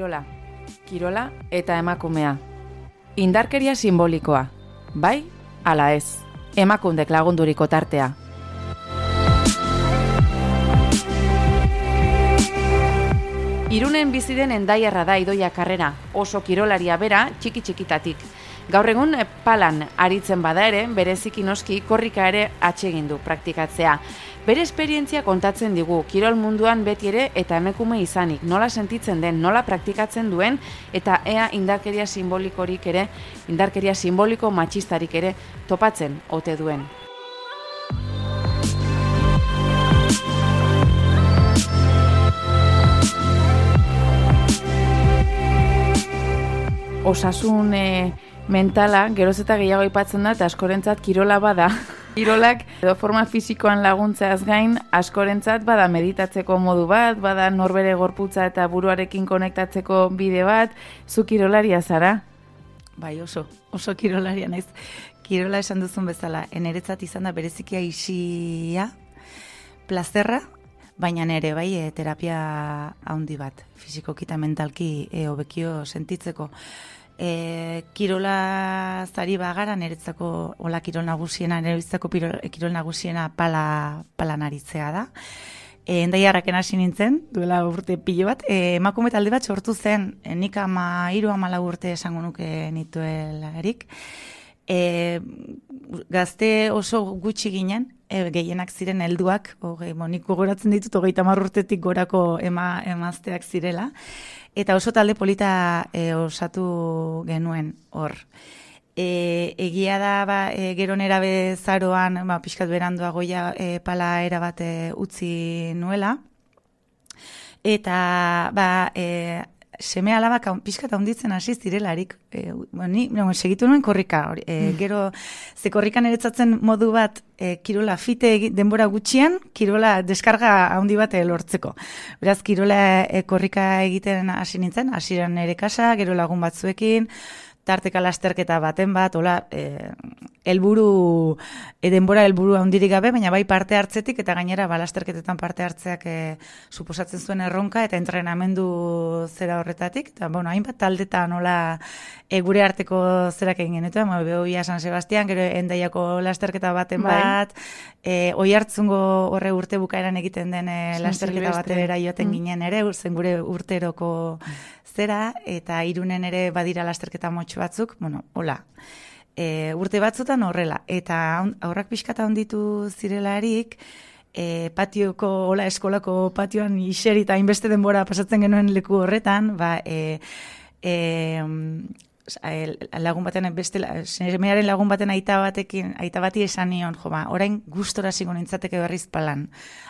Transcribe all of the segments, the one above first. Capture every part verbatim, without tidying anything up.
Kirola. Kirola eta emakumea. Indarkeria simbolikoa. Bai, ala ez. Emakundek lagunduriko tartea. Irunen bizi den Hendaiarra da Idoia Karrera, oso kirolaria bera txiki-txikitatik. Gaur egun palan aritzen bada ere, bereziki noski korrika ere atsegin du praktikatzea. Bere esperientzia kontatzen digu, kirol munduan beti ere eta emakume izanik, nola sentitzen den, nola praktikatzen duen, eta ea indarkeria simbolikorik ere, indarkeria simboliko matxistarik ere topatzen ote duen. Osasun e, mentala, geroz eta gehiago aipatzen da, eta askorentzat kirola bada. Kirolak edo forma fisikoan laguntzeaz gain, askorentzat bada meditatzeko modu bat, bada norbere gorputza eta buruarekin konektatzeko bide bat, zu kirolaria zara? Bai, oso, oso kirolaria naiz. Kirola esan duzun bezala, eneretzat izan da berezikia isia, plazerra, baina nere bai e, terapia handi bat, fisikoki eta mentalki e, hobekio sentitzeko. E, kirola zari bagara, niretzako hola kirol nagusiena, niretzako kirol nagusiena pala, palan aritzea da. E, Hendaiarraken hasi nintzen, duela urte pilo bat, e, emakume talde bat sortu zen, e, nik ama hiru hamalau urte esango nuke nituelarik. E, gazte oso gutxi ginen, e, gehienak ziren helduak, nik gogoratzen ditut hogeita hamar urtetik gorako ema, emazteak zirela, eta oso talde polita e, osatu genuen hor. E, egia da, ba, e, gero nera bezaroan, ba, pixkat beranduagoia e, pala erabate utzi nuela, eta ba, e, seme alabak pixkat handitzen hasi zirelarik. E, ni, no, segitu nuen korrika. E, gero, ze korrikan eretzatzen modu bat, e, kirola fite denbora gutxian, kirola deskarga handi bat lortzeko. Beraz, kirola e, korrika egiten hasi nintzen, hasieran nere kasa, gero lagun batzuekin, tarteka lasterketa baten bat, hola, e, elburu, e, denbora helburu handirik gabe, baina bai parte hartzetik, eta gainera ba, lasterketetan parte hartzeak e, suposatzen zuen erronka, eta entrenamendu zera horretatik, eta bueno, hainbat taldetan hola e, gure arteko zerak egin genetu, ma Behoia San Sebastian, gero Hendaiako lasterketa baten bai. bat, e, Oihartzungo horre urte bukaeran egiten den e, lasterketa batera joaten mm. ginen ere, zen gure urteroko zera, eta Irunen ere badira lasterketa motxo batzuk, bueno, hola, e, urte batzutan horrela, eta aurrak pixkata honditu zirelarik, e, patioko, hola, eskolako patioan iseri eta hainbeste denbora pasatzen genuen leku horretan, ba, e, e, lagun baten, beste, semearen lagun baten aita batekin, aita bati esan nion, jo, ba, orain gustora zigo nintzateke berriz palan.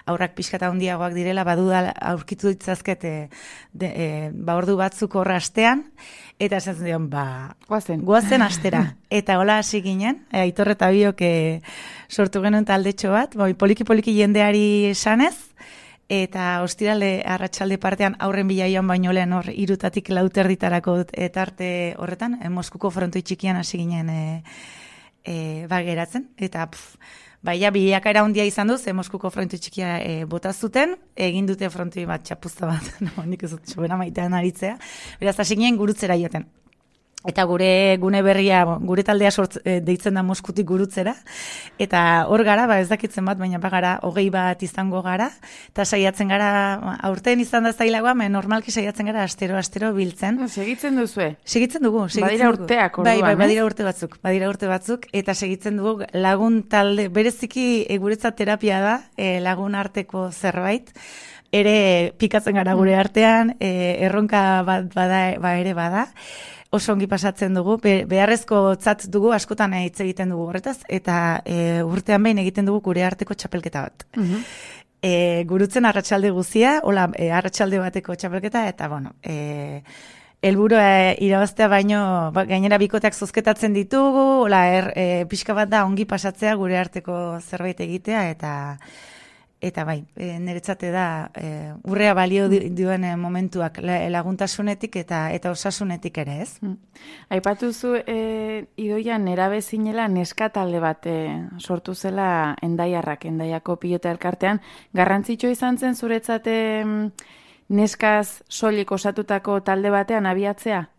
Aurrak pixkata handiagoak direla, baduda aurkitu ditzazkete de, e, ba, ordu batzuk horra astean, eta esan zion, ba, guazen, guazen astera. Eta hola hasi ginen, e, Aitor eta biok e, sortu genuen taldetxo bat, ba, poliki-poliki jendeari esanez, eta ostiralde arratsalde partean aurren bila joan baino lehen hor irutatik lauterditarako etarte horretan, e, Moskuko frontoi txikian hasi ginen e, e, bageratzen, eta pff, baina bilakaera handia izan du, ze Moskuko frontoi txikia e, bota zuten, egin dute frontoi bat txapuzta bat, no, nik ez dut sobera maitean aritzea, beraz hasi ginen gurutzera joten. Eta gure gune berria, gure taldea sort, e, deitzen da Moskutik gurutzera, eta hor gara, ba ez dakitzen bat, baina bagara hogei bat izango gara, eta saiatzen gara, aurten izan da zailagoa, me normalki saiatzen gara astero-astero biltzen. Segitzen duzue? Segitzen dugu. Segitzen badira urteak orduan, bai, bai, badira urte batzuk, badira urte batzuk, eta segitzen dugu lagun talde, bereziki e, guretzat terapia da, e, lagun arteko zerbait, ere pikatzen gara gure artean, e, erronka bat bada, ba ere bada, oso ongi pasatzen dugu, Be, beharrezko tzat dugu, askotan hitz egiten dugu horretaz, eta e, urtean behin egiten dugu gure arteko txapelketa bat. Uh-huh. E, gurutzen arratsalde guzia, hola, e, arratsalde bateko txapelketa, eta bueno, e, helburua e, irabaztea baino, ba, gainera bikoteak zozketatzen ditugu, hola, er, e, pixka bat da ongi pasatzea gure arteko zerbait egitea, eta Eta bai, e, niretzate da, e, urrea balio duen momentuak laguntasunetik eta eta osasunetik ere, ez? Mm. Aipatuzu e, Idoia nerabe zinela neska talde bat e, sortu zela Hendaiarrak, Hendaiako pilota elkartean. Garrantzitsua izan zen zuretzat neskaz soilik osatutako talde batean abiatzea?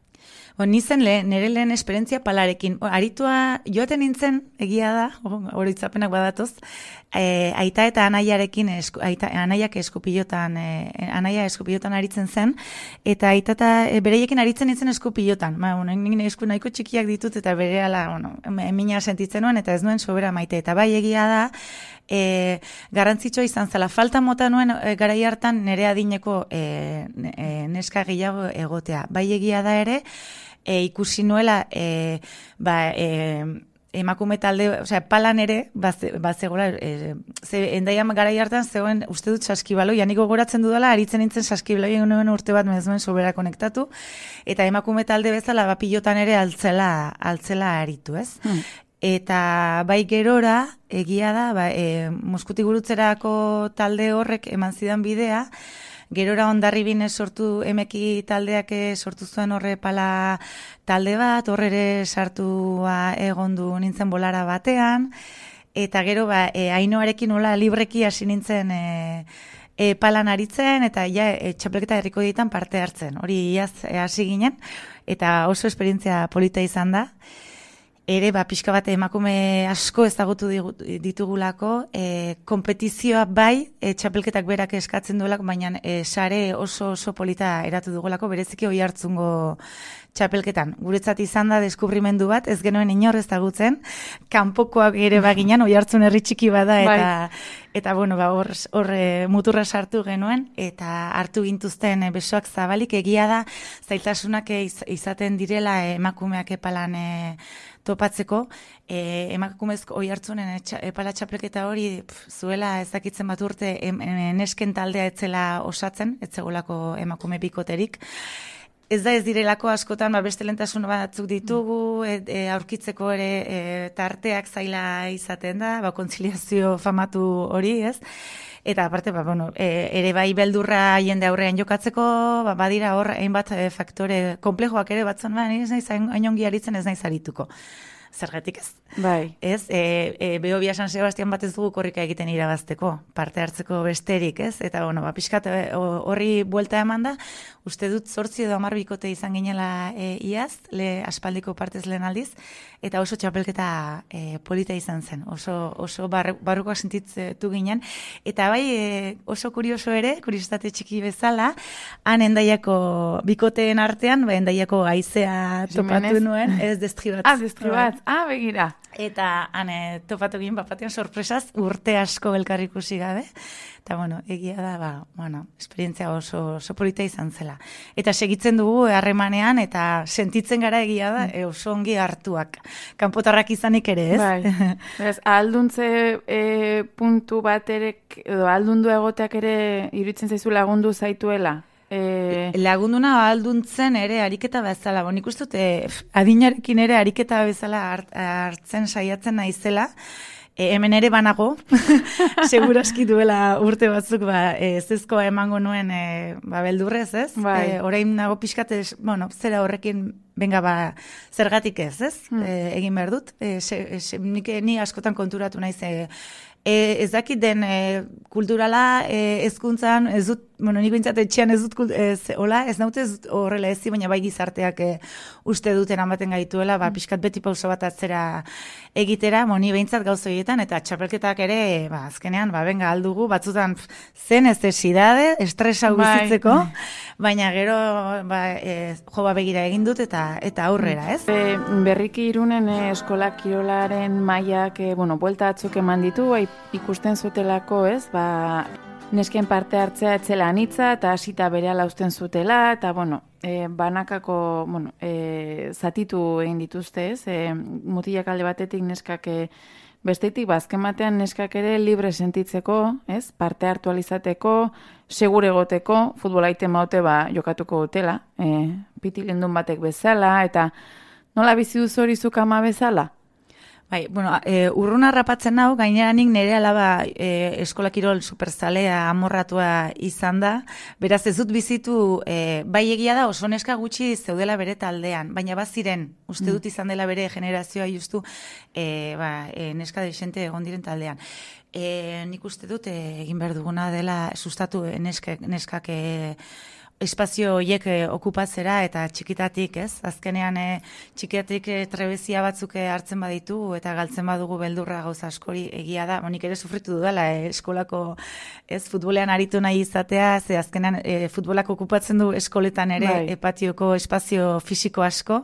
O, nizen le, nire lehen esperientzia palarekin. O, aritua joaten nintzen, egia da, horitzapenak badatoz, e, aita eta anaiarekin, esku, aita, anaiak eskupilotan, e, anaia eskupilotan aritzen zen, eta aita eta e, bereiekin aritzen nintzen eskupilotan. Ma, bueno, nire esku nahiko txikiak ditut, eta bere ala, bueno, emina sentitzen nuen, eta ez nuen sobera maite. Eta bai egia da, e, garrantzitsua izan zela. Falta mota nuen e, garai hartan nire adineko e, e, neska gehiago egotea. Bai egia da ere, E, ikusi nuela e, ba, e, emakume talde, osea, palan ere, bazegoela, e, ze endaian garai hartan zegoen, uste dut saskibaloi, aniko goratzen dudala, aritzen nintzen saskibaloi nuen urte bat mezuen sobera konektatu, eta emakume talde bezala, ba, pilotan ere altzela, altzela aritu, ez? Hmm. Eta bai gerora, egia da, ba, e, Moskutik gurutzerako talde horrek eman zidan bidea, gerora Hondarribin sortu emeki taldeak sortu zuen horre pala talde bat, horre ere sartua egondu nintzen bolara batean, eta gero ba, e, Ainoarekin nola libreki hasi nintzen e, e, palan aritzen, eta ja e, txapelketa herriko ditan parte hartzen. Hori iaz hasi ginen, eta oso esperientzia polita izan da. Ere, ba, pixka bat emakume asko ezagutu ditugulako, e, kompetizioa bai, e, txapelketak berak eskatzen duelako, baina e, sare oso oso polita eratu dugulako, bereziki oi hartzungo txapelketan. Guretzat izan da deskubrimendu bat, ez genuen inor ezagutzen, kanpokoak ere baginan, oi hartzun herri txiki bada, eta, bai. Eta bueno, ba, hor, hor e, muturra sartu genuen, eta hartu gintuzten e, besoak zabalik, egia da, zailtasunak iz, izaten direla e, emakumeak epalan e, topatzeko, e, emakumezko oi hartzunen epala txapelketa hori pf, zuela ezakitzen bat urte em, em, nesken taldea etzela osatzen, etzegolako emakume bikoterik. Ez da ez direlako askotan, ba, beste lentasun batzuk ditugu, e, e, aurkitzeko ere e, tarteak zaila izaten da, ba, kontziliazio famatu hori, ez? Eta aparte, ba, bueno, e, ere bai beldurra jende aurrean jokatzeko, ba, badira hor, hainbat e, faktore komplejoak ere batzuen, ba, ez naiz hainongi aritzen ez naiz arituko. Zergatik ez? Bai. Ez, e, e, Behobia San Sebastian bat ez dugu korrika egiten irabazteko, parte hartzeko besterik, ez? Eta, bueno, ba, pixkat horri buelta eman da, uste dut zortzi edo hamar bikote izan ginela e, iaz, le aspaldiko partez lehen aldiz, eta oso txapelketa e, polita izan zen, oso, oso bar, barrukoak sentitu ginen, eta bai e, oso kurioso ere, kuriositate txiki bezala, han Hendaiako bikoteen artean, ba, Hendaiako haizea topatu nuen, ez destribat. Ah, destribat, ah, begira. Eta hane topatu ginen bapatean sorpresaz urte asko elkar ikusi gabe. Eta bueno, egia da, ba, bueno, esperientzia oso, oso polita izan zela. Eta segitzen dugu harremanean eta sentitzen gara egia da e, oso ongi hartuak. Kanpotarrak izanik ere, ez? Bai. Beraz, alduntze e, puntu bat ere, edo aldundu egoteak ere iruditzen zaizu lagundu zaituela? E... Lagunduna alduntzen ere ariketa bezala, bon, ikustu dute adinarekin ere ariketa bezala hart, hartzen saiatzen naizela, e, hemen ere banago, seguraski duela urte batzuk ba, e, zezkoa emango nuen e, ba, beldurrez, ez? Bai. E, orain nago pixkat, bueno, zera horrekin benga ba, zergatik ez, ez? Hmm. E, egin behar dut, e, se, se, nik, ni askotan konturatu naiz, e, e, ez dakit den e, kulturala e, ezkuntzan, ez dut, bueno, niko intzat etxean ez dut, ez, hola, ez naute ez dut horrela ezi, baina bai gizarteak e, uste duten amaten gaituela, ba, pixkat beti pauso bat atzera egitera, moni behintzat gauzoietan, eta txapelketak ere, ba, azkenean, ba, benga aldugu, batzutan zen ez desidade, estresa bizitzeko, baina gero, ba, e, jo ba begira egin dut, eta eta aurrera, ez? E, berriki Irunen e, eskola kirolaren mailak, e, bueno, buelta atzuk eman ditu, e, ikusten zutelako, ez, ba, nesken parte hartzea etzela anitza, eta hasita berehala uzten zutela, eta, bueno, e, banakako, bueno, e, zatitu egin dituzte, ez? E, mutilak alde batetik neskak e, bestetik, bazken batean neskak ere libre sentitzeko, ez? Parte hartu alizateko, segure egoteko, futbola iten maute ba, jokatuko dutela, e, pitilendun batek bezala, eta nola bizi duzu hori zuk ama bezala? Bai, bueno, e, urruna rapatzen hau, gainera nik nire alaba e, eskola kirol superzalea amorratua izan da, beraz ez dut bizitu, e, bai egia da oso neska gutxi zeudela bere taldean, baina baziren, uste dut izan dela bere generazioa justu, e, ba, e, neska desente egon diren taldean. E, nik uste dut e, egin behar duguna dela sustatu e, neskak, neskak e, espazio horiek eh, okupatzera eta txikitatik, ez? Azkenean eh, txikitatik eh, trebezia batzuk eh, hartzen baditu eta galtzen badugu beldurra gauza askori egia da. Monik ere sufritu dudala eh, eskolako, ez, futbolean aritu nahi izatea, ze azkenean eh, futbolak okupatzen du eskoletan ere bai. eh, patioko espazio fisiko asko.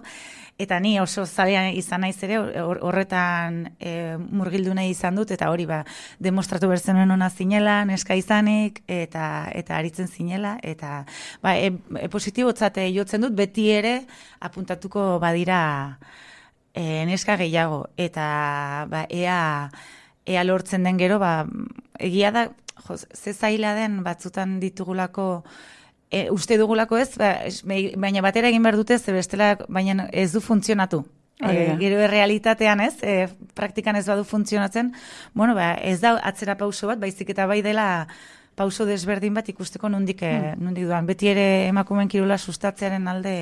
Eta ni oso zalean izan naiz ere horretan e, murgildu nahi izan dut, eta hori ba, demostratu berzenuen ona zinela, neska izanik, eta eta aritzen zinela, eta ba, e, e, positibotzate jotzen dut, beti ere apuntatuko badira e, neska gehiago, eta ba, ea, ea lortzen den gero, ba, egia da, jo, ze zaila den batzutan ditugulako, E, uste dugulako ez, ba, baina batera egin behar dute, ze bestela, baina ez du funtzionatu. E, gero errealitatean ez, e, praktikan ez badu funtzionatzen, bueno, ba, ez da atzera pauso bat, baizik eta bai dela pauso desberdin bat ikusteko nondik, hmm. nondik duan. Beti ere emakumeen kirola sustatzearen alde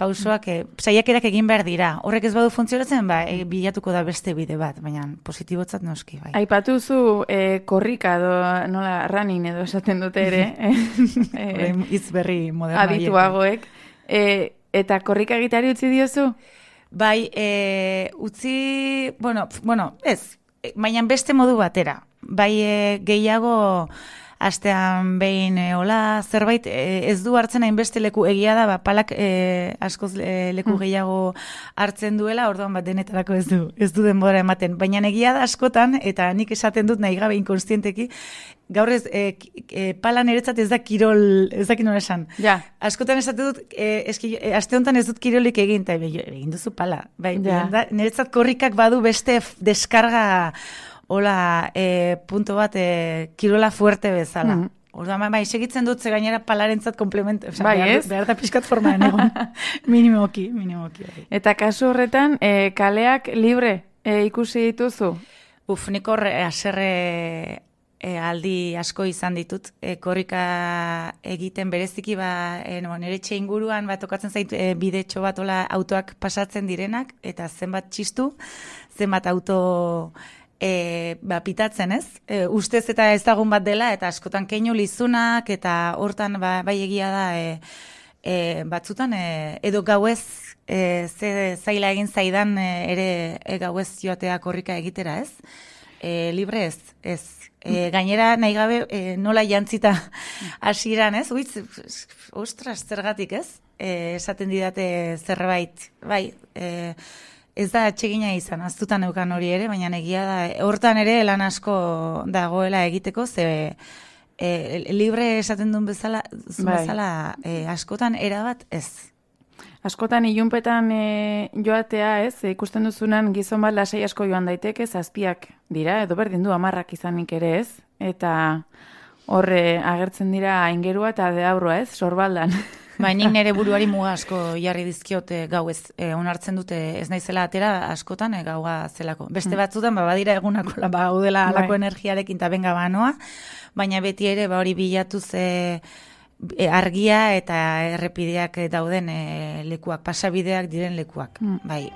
pausoak, e, saiakerak egin behar dira. Horrek ez badu funtzionatzen, ba, e, bilatuko da beste bide bat, baina positibotzat noski, bai. Aipatu zu e, korrika edo, nola, running edo esaten dute ere. e, Itz berri moderna. Adituagoek. E, eta korrika egiteari utzi diozu? Bai, e, utzi, bueno, bueno, ez, baina beste modu batera. Bai, e, gehiago astean behin e, hola, zerbait e, ez du hartzen hainbeste leku egia da, ba, palak e, askoz e, leku gehiago hartzen duela, orduan bat denetarako ez du, ez du denbora ematen. Baina egia da askotan, eta nik esaten dut nahi gabe inkonstienteki, gaur ez, e, e, pala niretzat ez da kirol, ez da kirol esan. Ja. Askotan esaten dut, e, eski, e, aste honetan ez dut kirolik egin, eta egin duzu pala. Bai, ja. da, niretzat korrikak badu beste deskarga hola, e, punto bat, e, kirola fuerte bezala. Mm. Orduan, bai, segitzen dut, ze gainera palarentzat komplemento, oza, bai, behar, behar da pixkat formaen egon. minimoki, minimoki. Bai. Eta kasu horretan, e, kaleak libre e, ikusi dituzu? Uf, nik horre, aserre e, aldi asko izan ditut. E, korrika egiten bereziki, ba, e, no, nire etxe inguruan, ba, tokatzen zait, e, bidetxo bat, ola, autoak pasatzen direnak, eta zenbat txistu, zenbat auto E, ba, pitatzen ez, e, ustez eta ezagun bat dela, eta askotan keinu lizunak, eta hortan ba, bai egia da, e, e, batzutan, e, edo gauez, e, ze zaila egin zaidan e, ere e, gauez joatea korrika egitera ez, e, libre ez, ez. E, gainera nahi gabe e, nola jantzita hasieran ez, uitz, ostras, zergatik ez, e, esaten didate zerbait, bai, e, ez da atsegina izan, aztutan eukan hori ere, baina egia da, hortan ere lan asko dagoela egiteko, ze e, libre esaten duen bezala, bai. bezala e, askotan erabat ez. Askotan ilunpetan e, joatea ez, e, ikusten duzunan gizon bat lasai asko joan daiteke, zazpiak dira, edo berdin du hamarrak izanik ere ez, eta horre agertzen dira aingerua eta deaurua ez, sorbaldan. Bai, nik nire buruari muga asko jarri dizkiote gau ez, e, onartzen dute ez naizela atera askotan e, gaua zelako. Beste batzutan, ba, badira egunako ba, gaudela alako energiarekin eta benga banoa, baina beti ere ba, hori bilatuz e, e, argia eta errepideak dauden e, lekuak, pasabideak diren lekuak, mm. bai.